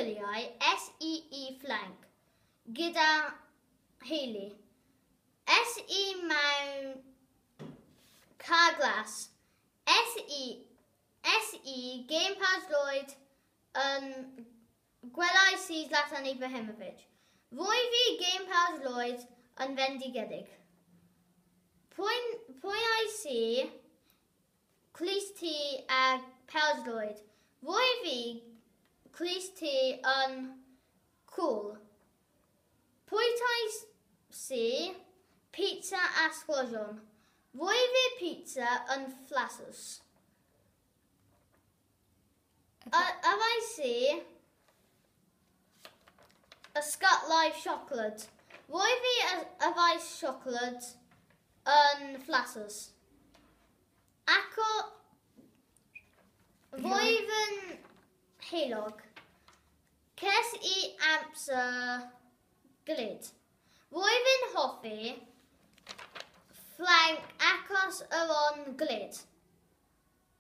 gwyliau SEE Fflanc gyda theulu. Es i mewn car glas. Es i, es i gêm pêl-droed yn Gwelais i Zlatan Ibrahimovic. Rwyf i gêm pêl-droed yn fendigedig. Pwy, pwy ais i clust ti ar pêl-droed? Rwyf i clust ti yn cŵl. Pwy tais si pizza a sglodion? Rwyf i pizza yn flasus. Yfais i y Scut Live Siocled. Roedd fi yfais siocled yn flasus. Ac o... Roedd yn heulog. Ces i amser glyd. Roedd yn hoffi Ffrainc achos yr on glyd.